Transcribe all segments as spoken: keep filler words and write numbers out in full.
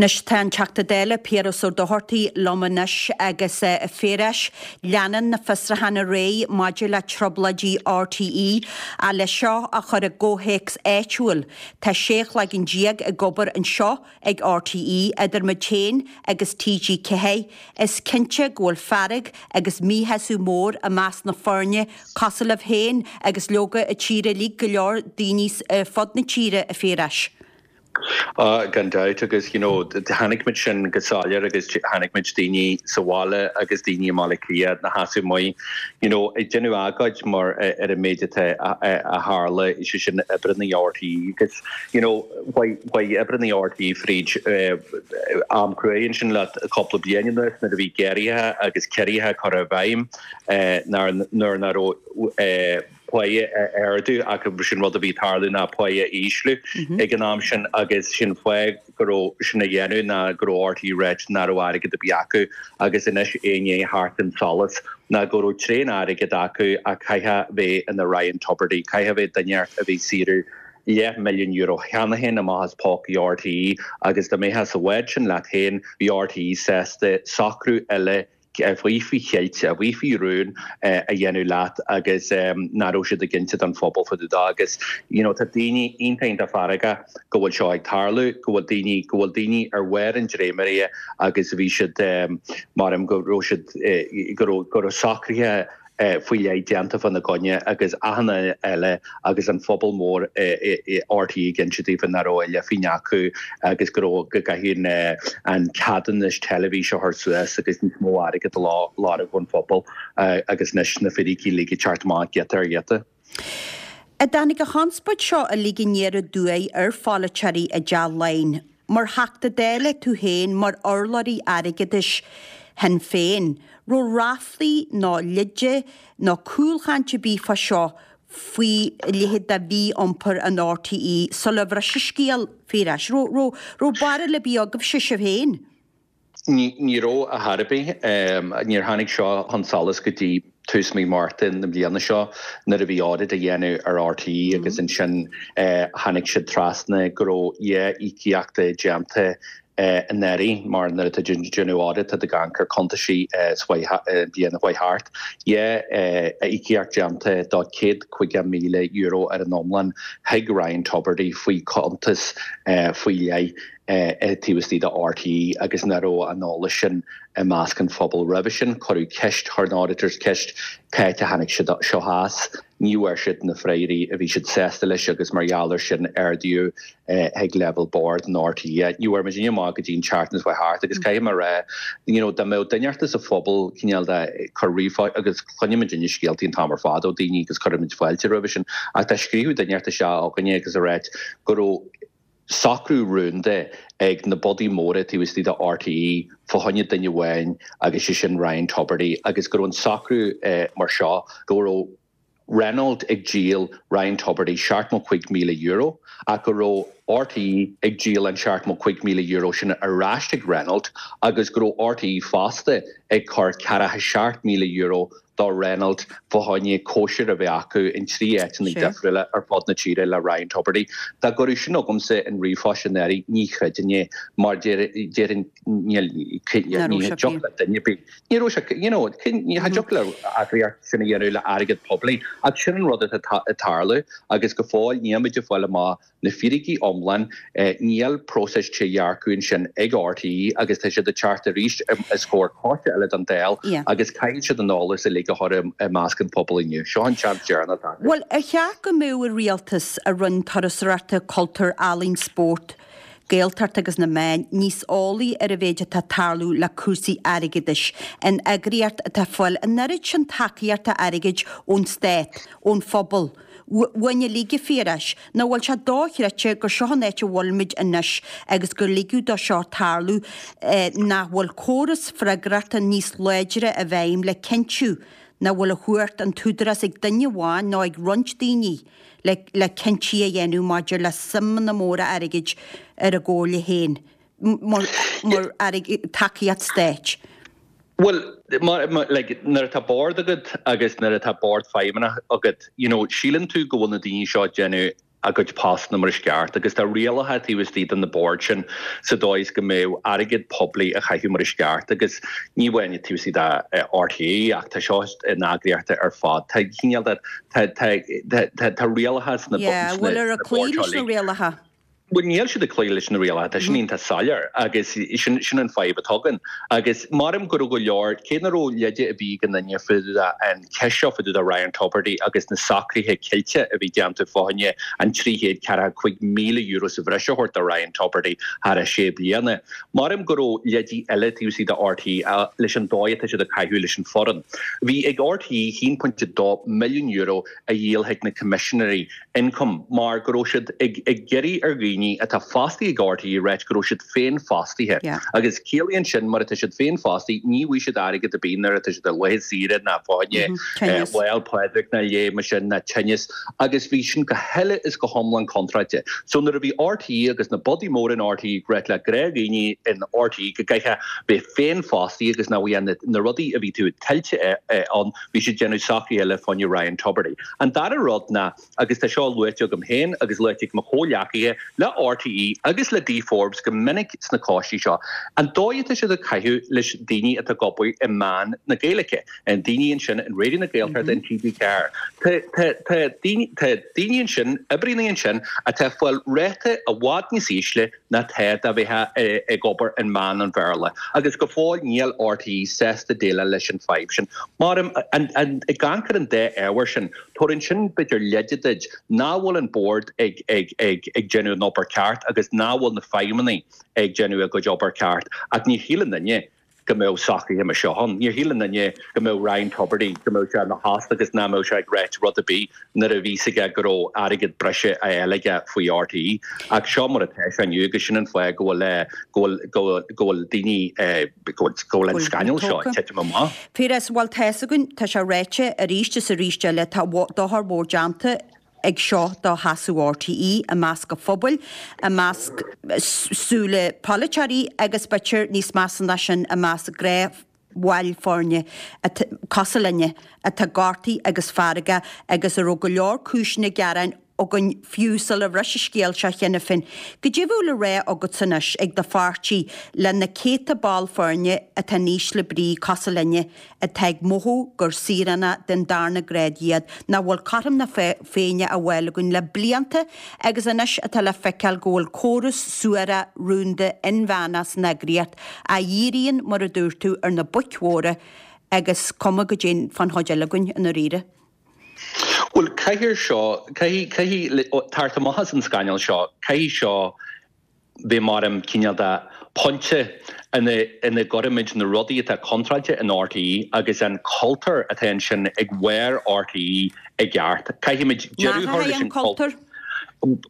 Anois tá an Teachta Dála Piaras Ó Dochartaigh liom anois agus a Phiarais leanann na fiosrúcháin ar aghaidh maidir le trioblóidí RTÉ a le seo a chur i gcomhthéacs áitiúil. Tá sé chloigeann déag ag obair anseo ag RTÉ idir muid féin agus TG Ceathair. Is cinnte go bhfuil fearg agus míshásamh mór i measc na foirne cosúil libh féin agus leoga i tíre uilig go leor daoine fud na tíre a Phiarais. Uh, gan dabht agus you know, chonaic muid sin go soiléir agus chonaic muid daoine sa bhaile agus daoine i mBaile Átha Cliath na hasú mu you know, ag déanamh agóid mar ar an méid atá a tharla sé sin oibrithe RTÉ agus you know, chuaigh oibrithe RTÉ fríd uh, am cruaidh sin le cúpla bliain nuair a bhí géarchéim agus ciorruithe curtha i bhfeidhm uh, nuair nach raibh uh, pá ardú ach sin rud a bhí tarlú ná pá ísliú mhm. ag an am sin agus sin fáth go raibh sin a dhéanamh ná go raibh RTÉ ráite nach raibh airgead ar bith acu agus anois éinné thart an solas ná go raibh tréan airgead acu a caithfidh bheith ina Ryan Tubridy, caithfidh bheith duine a bhí saothrú leath milliún euro cheana féin amach as pócaí RTÉ agus dá mbeifeá sa bhád sin leat féin bhí RTÉ sásta socrú eile faoi faoi cheilt a bhí faoi rún a dhéanamh leat agus nach raibh siad ag inse don phobal fá dtaobh agus you know, tá daoine iontach feargach go bhfuil seo ag tarlú go bhfuil daoine go bhfuil daoine ar bharr an dréimire agus bhí siad um, mar go raibh siad eh, go raibh socruithe Eh, faoi leith déanta fána gcoinne agus achan eile agus an phobal mór RTÉ ag inse daofa nach raibh leathphingin acu agus go raibh go gcaithfidh an ceadúnas teilifíse a chur suas agus níos mó airgead a lorg ón phobal agus anois na fíricí uilig ag teacht amach giota ar ghiota. A dtáinig an chonspóid seo uilig aniar aduaidh ar pholaiteoirí i dTeach Laighean, mar Theachta Dála tú féin mar urlabhraí airgeadais Shinn Féin, raibh ráflaí nó leide nó cúlchaint ar bith fá seo faoi leithéid de mhí-iompar an RTÉ sula bhris an scéal Phiarais. Raibh barúil ar bith agaibhse sibh féin? Ní raibh ar chor ar bith níor tháinig seo chun solais go dtí tús mí Márta na bliana seo nuair a bhí audit á dhéanamh ar RTÉ agus ansin tháinig siad trasna go raibh dhá íocaíocht déanta anuraidh mar nuair atá déanamh audit tá gan ar cuntaisí bliana chuaigh thart. Dhá íocaíocht déanta do céad caoga míle euro ar an iomlán chuig Ryan Tubridy faoi cuntas faoi leith taobh istigh de RTÉ agus nach raibh an eolas sin i measc an phobal roimhe sin cuireadh ceist chuir na auditors ceist cá háit a tháinig siad seo as ní bhfuair siad na freagraí a bhí siad sásta leis agus mar gheall air sin ardaíodh ag leibhéal board an RTÉ. Ní bhfuair muid amach go dtí an tseachtain seo thart agus caithfidh mé rá you know, dá mbeadh duine sa phobal cineál de chur ríomhphost agus cluinimid scéaltaí an t-am ar fad ó daoine agus cuirimid fáilte roimhe sin ach tá scríobh duine seo againne agus a rá go raibh socrú rúnda ag na bodaí móra taobh istigh de RTÉ fá choinne duine amháin agus sé sin Ryan Tubridy agus go raibh an socrú eh, mar seo go raibh Renault ag díol Ryan Tubridy seachtó cúig míle euro ach go raibh RTÉ ag díol an seachtó cúig míle euro sin ar ais ag Renault agus go raibh RTÉ fosta ag cur ceathracha seacht míle euro do Renault fá choinne cóisir a bheith acu in trí áiteanna difriúla ar fud na tíre le Ryan Tubridy. Dá gcuireadh sin agamsa in ríomhphost anuraidh ní chreidfinn é mar déarfainn ní thiocfadh le duine bí. Ní raibh sé you know, ní thiocfadh le eagraíocht sin a dhéanamh le airgead poiblí ach sin an rud atá ag tarlú agus go fóill nílimid ag fáil amach na fíricí iomlán níl próiseas trédhearcach ansin ag RTÉ agus tá siad ag teacht arís os comhair coiste eile den Dáil agus caithfidh siad an eolas uilig a chur i measc an phobal inniu. Seo an seans deireanach. Bhuel, ar cheart go mbeadh an rialtas a Roinn Turasóireachta Cultúr Ealaíon Spórt, Gaeltacht agus na meáin níos eolaí ar an mhéid atá tarlú le cúrsaí airgeadais in eagraíocht atá fáil an oiread sin tacaíochta airgid ón stát, ón phobal. Bhain uilig a Phiarais, nó bhfuil sé dochreidte gur seo an áit a bhfuilimid anois agus gur ligeadh dó seo tarlú nach bhfuil córas freagrachta níos láidre i bhfeidhm le cinntiú nach bhfuil a chumhacht an t-údarás ag duine amháin nó ag roinnt daoine le le cinntí a dhéanamh maidir le suimeanna móra airgid ar a gcomhairle féin mar mar airgead tacaíocht stáit. Well, mar, mar, like, nuair atá bord agat agus nuair atá bord feidhmeannach agat, you know, síleann tú go bhfuil na daoine seo déanamh a gcuid postanna mar is ceart agus tá rialacha taobh istigh de na boird sin sa dóigh is go mbeadh airgead poiblí á chaitheamh mar is ceart agus ní amháin taobh istigh de RTÉ ach tá seo in eagraíochtaí ar fad. Tá cineál de tá tá tá tá rialacha sna Yeah, bhfuil ar a cloí leis na rialacha? Bhuel níl siad ag cloí leis na rialacha, tá sin iontach soiléir agus sin sin an fadhb atá againn. Agus maram go raibh go leor, cé nach raibh leide ar bith ag aon duine fá dtaobh den cheist seo fá dtaobh de Ryan Tubridy agus na socruithe ceilte a bhí déanta fá choinne an trí chéad ceathracha cúig míle euro sa bhreis a thabhairt do Ryan Tubridy thar a sé bliana. Maram go raibh leidí eile taobh istigh de RTÉ leis an dóigh atá siad ag caitheamh leis an foireann. Bhí ag RTÉ haon pointe dó milliún euro a dhíol chuig na Coimisinéirí Ioncaim mar go raibh siad ag ag iarraidh ar dhaoine atá fostaithe ag RTÉ ráit go raibh siad féinfhostaithe. Agus ciallaíonn sin mar atá siad féinfhostaithe ní bhfaighidh siad airgead ar bith nuair atá siad ar laetha saoire ná fá choinne Lá 'le Pádraig ná leithéid mar sin ná tinneas agus bhí sin go huile is go hiomlán contráilte. So nuair a bhí RTÉ agus na bodaí móra in RTÉ ag ráit le gnáthdhaoine in RTÉ go gcaithfeá bheith féinfhostaithe agus nach bhfuil na rudaí a bhí tú tuillte ann bhí siad déanamh socruithe eile fá choinne Ryan Tubridy. An dara rud ná agus tá seo luaite agam féin agus luaite ag mo chomhghleacaithe le RTÉ agus le Dee Forbes go minic sna coistí seo, an dóigh atá siad ag caitheamh leis daoine atá ag obair i meán na Gaeilge, an daoine ansin in Raidió na Gaeltachta in TG Ceathair. Tá daoine ansin, oibríonnaí ansin atá ag fáil ráta i bhfad níos ísle ná tá dá mbeifeá ag obair in meán an Bhéarla. Agus go fóill níl RTÉ sásta déileáil leis an fadhb sin. Mar ag amharc ar an dá ábhar sin, tabharann sin b'fhéidir leide duit nach bhfuil an bord ag ag ag ag déanamh an obair ceart agus nach bhfuil na feidhmeannaigh ag déanamh a gcuid obair ceart. Ach ní shíleann duine go mbeadh socruithe mar seo ann. Níor shíl aon duine go mbeadh Ryan Tubridy, go mbeadh sé ina thost agus nach mbeadh sé ag ráit rud ar bith nuair a bhí fhios aige go raibh airgead breise á fháil aige faoi RTÉ. Ach seo mar atá sé inniu agus sin an fáth go bhfuil go bhfuil go bhfuil go bhfuil daoine go bhfuil go bhfuil an scannal seo ag titim amach. Piaras, bhuel tá fhios againn, tá sé ráite arís is arís eile, tá dochar mór déanta ag seo do sheasamh RTÉ i measc an phobail, i measc súile polaiteoirí agus b'fhéidir níos measa ná sin i measc gnáthbhaill foirne cosúil linne atá gortaithe agus feargach agus a raibh go leor cúiseanna gearáin againn fiú sula bhris an scéal seo cheana féin. Goidé a bheadh le rá agatsa anois ag do pháirtí le na céadta ball foirne atá in ísle brí cosúil linne atá ag mothú gur saoránaigh den darna grád iad, nach bhfuil cothrom na Féinne á fháil againn le blianta agus anois atá le feiceáil go bhfuil córas suarach rúnda inmheánach san eagraíocht a dhíríonn, mar a dúirt tú, ar na boic mhóra agus cuma goidé fán chuid eile againn i ndáiríre. Bhuel, caithfidh seo, caithfidh, caithfidh, teacht amach as an scannal seo, caithfidh seo bheith mar an cineál de pointe ina, ina gcuirimid na rudaí atá contráilte in RTÉ agus an cultúr atá ansin ag bharr RTÉ i gceart. Caithfimid deireadh a chur leis an cultúr.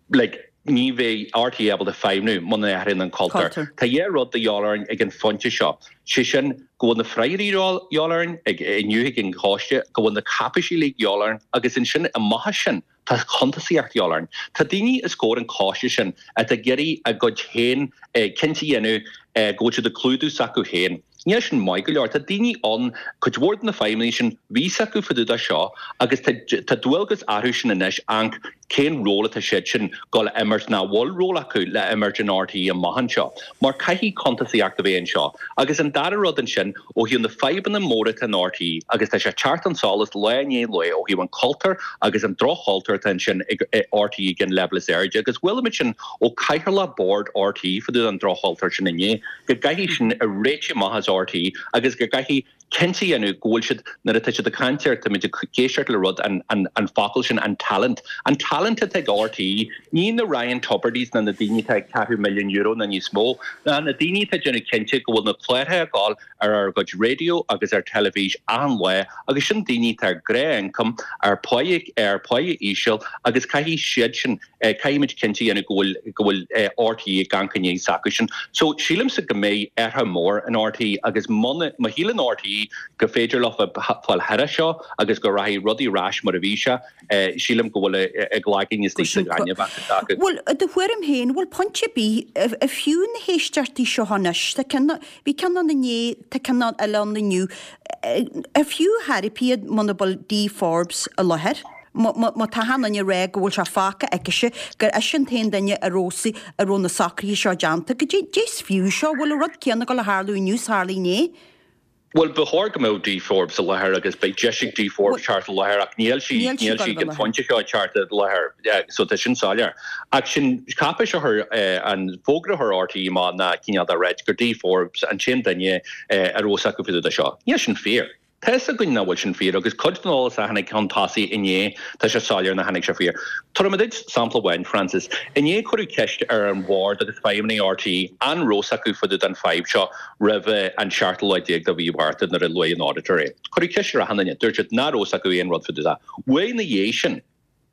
Like, ní bheidh RTÉ ábalta feidhmiú muna n-athraíonn an cultúr. Tá dhá rud de dhíobháil orainn ag an phointe seo, sé sin go bhfuil na freagraí de dhíobháil orainn ag inniu ag an choiste, go bhfuil na cáipéisí uilig de dhíobháil orainn agus ansin amach as sin tá cuntasaíocht de dhíobháil orainn. Tá daoine os comhair an choiste sin atá ag iarraidh a gcuid féin cinnte a dhéanamh go bhfuil siad ag clúdú s'acu féin. Níl sin maith go leor. Tá daoine ann, cuid mhór de na feidhmeannaigh sin, bhí fhios acu fá dtaobh de seo agus tá dualgas orthu sin anois amharc cén ról atá siad sin dul a imirt nó an bhfuil ról acu le imirt in RTÉ amach anseo. Mar caithfidh cuntasaíocht a bheith anseo. Agus an dara rud ansin, ó thaobh na fadhbanna móra atá in RTÉ agus tá sé ag teacht chun solais lá i ndiaidh lae ó thaobh an cultúr agus an droch-chultúr atá ansin ag RTÉ ag an leibhéal is airde agus chuala muid sin ó chathaoirleach bord RTÉ fá dtaobh den droch-chultúr sin inné, go gcaithfidh sin a réiteach amach as RTÉ agus go gcaithfidh cinnte a dhéanamh go bhfuil siad, nuair atá siad ag caint ar, táimid ag éisteacht le rud, an, an, an focal sin, an talent. An talent atá ag RTÉ, ní na Ryan Tubridy's ná na daoine atá ag ceathrú milliún euro ná níos mó, ná na daoine atá ag déanamh cinnte go bhfuil na cláracha ag gabháil ar ár gcuid raidió agus ar teilifís achan lá agus sin daoine atá ar ghnáth-ioncam, ar pháighe, ar pháighe íseal agus caithfidh siad sin, caithfimid cinnte a dhéanamh go bhfuil, go bhfuil RTÉ ag amharc i ndiaidh s'acu sin. So sílimse go mbeidh athrú mór in RTÉ agus muna, má shíleann RTÉ go féidir leo fáil thar seo agus go rachaidh rudaí ar ais mar a bhí sé, sílim go bhfuil a gcloigeann istigh sa ghaineamh acu. Bhuel, i do thuairim féin, bhfuil pointe ar bith, ar fiú na héisteachtaí seo anois, tá ceann, bhí ceann ann inné, tá ceann eile ann inniu, ar fiú ar chor ar bith iad muna bhfuil Dee Forbes i láthair? Má tá achan duine ag rá go bhfuil sé fágtha aicise, gur ise an t-aon duine a raibh a raibh na socruithe seo déanta, goidé is fiú seo, bhfuil an rud céanna ag dul a tharlú inniu is a tharla inné? Bhuel, ba chóir go mbeadh Dee Forbes i láthair agus beidh deis ag Dee Forbes teacht i láthair ach níl sí níl sí ag an phointe seo ag teacht i láthair so tá sin soiléir. Ach sin cáipéis a chuir an fógra a chuir RTÉ amach ná cineál de ráit gur Dee Forbes an t-aon duine a raibh fhios acu faoi dtaobh de seo. Níl sin fíor. Tá fhios againn nach bhfuil sin fíor agus cuid den eolas a tháinig chun tosaigh inné, tá sé soiléir nár tháinig sé fíor. Tabharfaidh mé duit sampla amháin, Francis. Inné cuireadh ceist ar an bhord agus feidhmeannaigh RTÉ an raibh fhios acu fá dtaobh den fadhb seo roimh an seachtú lá déag de mhí Mhárta nuair a luaigh an auditor é. Cuireadh ceist ar achan duine, dúirt siad nach raibh fhios acu aon rud fá dtaobh de. Uair ina dhiaidh sin,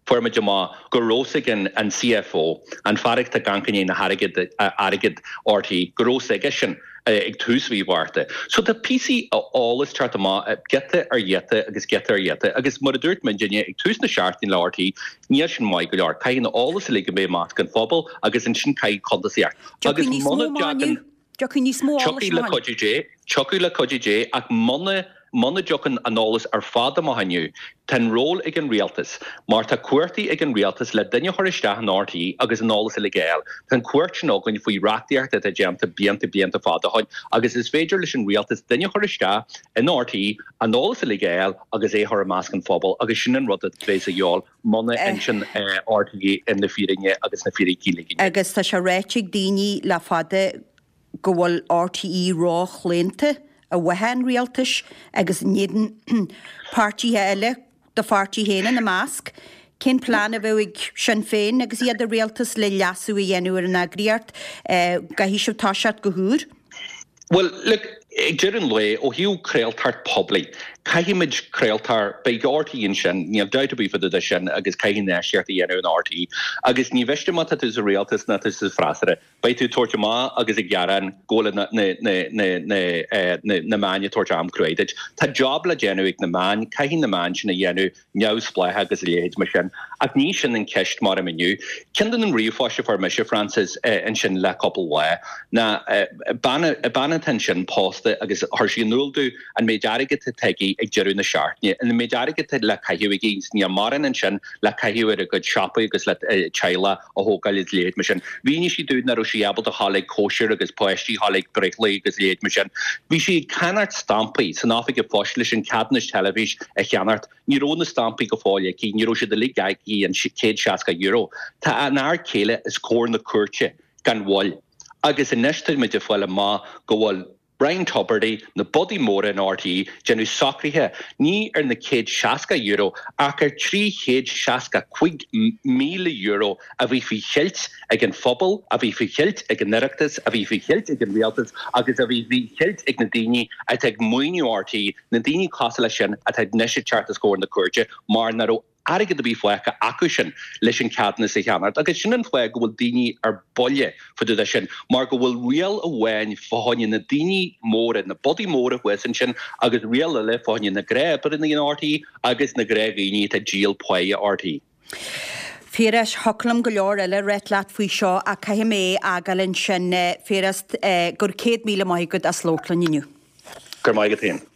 Fuair muid amach go raibh fhios ag an CFO, an fear atá ag amharc i ndiaidh na hairgead, airgead RTÉ, go raibh fhios aige sin ag tús mhí Mhárta. So tá píosaí eolais teacht amach giota ar ghiota agus giota ar ghiota agus mar a dúirt muidinne ag tús na seachtaine le RTÉ, níl sin maith go leor. Caithfidh an eolas uilig a bheith i measc an phobail agus ansin caithfidh cuntasaíocht. Agus muna dtagann. Tiocfaidh níos mó eolais Tiocfaidh le cuidiú Dé, tiocfaidh le cuidiú Dé ach muna Muna dtiocfaidh an eolas ar fad amach inniu, tá an ról ag an rialtas, mar tá cumhachtaí ag an rialtas le duine a chur isteach in RTÉ agus an eolas uilig a fháil. Tá an chumhacht sin againn faoi reachtaíocht atá déanta blianta blianta fada ó shin agus is féidir leis an rialtas duine a chur isteach in RTÉ, an eolas uilig a fháil agus é a chur i measc an phobail agus sin an rud a bheas a dhíobháil muna n-inseann RTÉ na fírinne agus na fíricí uilig inniu. Agus tá sé ráite ag daoine le fada go bhfuil RTÉ róchlaonta i bhfábhar an rialtais agus in éadan páirtithe eile, do pháirtí féin ina measc. Cén plean a bheadh ag Sinn Féin agus iad i rialtas le leasú a dhéanamh ar an eagraíocht? Caithfidh sibh toiseacht go húr. Bhuel, look, ag deireadh an lae, ó thaobh craoltóireacht poiblí, caithfimid craoltóir, beidh RTÉ ansin, níl dabht ar bith fá dtaobh de sin agus caithfidh infheistíocht a dhéanamh in RTÉ agus ní mhiste má tá tú sa rialtas ná tú sa freasúra, Beidh tú ag tabhairt amach agus ag gearán go bhfuil na meáin ag tabhairt am cruaidh duit. Tá job le déanamh ag na meáin, caithfidh na meáin sin a dhéanamh neamhspleách agus a leithéid mar sin. Ach ní sin an ceist mar inniu. Ceann den ríomhphost a fuair mise, Frances, ansin le cúpla lá ná bean atá ansin pósta agus chuir sí in iúl domh an méid airgid atá aici ag deireadh na seachtaine, an méid airgid atá le caitheamh aici, níl mórán ansin le caitheamh ar a cuid siopaí agus le teaghlach a thógáil agus a leithéid mar sin. Mhínigh sí dúinn nach raibh sí ábalta a ghabháil ag cóisir agus páistí a ghabháil ag breithlae agus a leithéid mar sin. Bhí sí ag ceannacht stampaí san oifig an phoist leis an ceadúnas teilifís a cheannacht. Ní raibh na stampaí go fóill aici, ní raibh siad uilig aici, an céad seasca euro. Tá an fhear céile os comhair na cúirte gan mhoill agus anois tá muid ag fáil amach go bhfuil Ryan Tubridy, na bodaí móra in RTÉ, déanamh socruithe, ní ar na céad seasca euro ach ar trí chéad seasca cúig míle euro a bhí faoi cheilt ag an phobal, a bhí faoi cheilt ag an Oireachtas, a bhí faoi cheilt ag an Rialtas agus a bhí faoi cheilt ag na daoine atá ag maoiniú RTÉ, na daoine cosúil leis sin atá anois ag teacht os comhair na cúirte mar nach raibh airgead ar bith fágtha acu sin leis an ceadúnas a cheannacht agus sin an fáth go bhfuil daoine ar buile fá dtaobh de sin mar go bhfuil riail amháin fá choinne na daoine móra, na bodaí móra thuas ansin agus riail eile fá choinne na gnáthoibrithe in RTÉ agus na gnáthdhaoine atá ag díol páighe RTÉ. Phiarais, thiocfadh liom go leor eile a ráit leat faoi seo ach caithfidh mé é a fhágáil ansin. Phiaras, go raibh céad míle maith agat as labhairt linn inniu. Go raibh maith agat féin.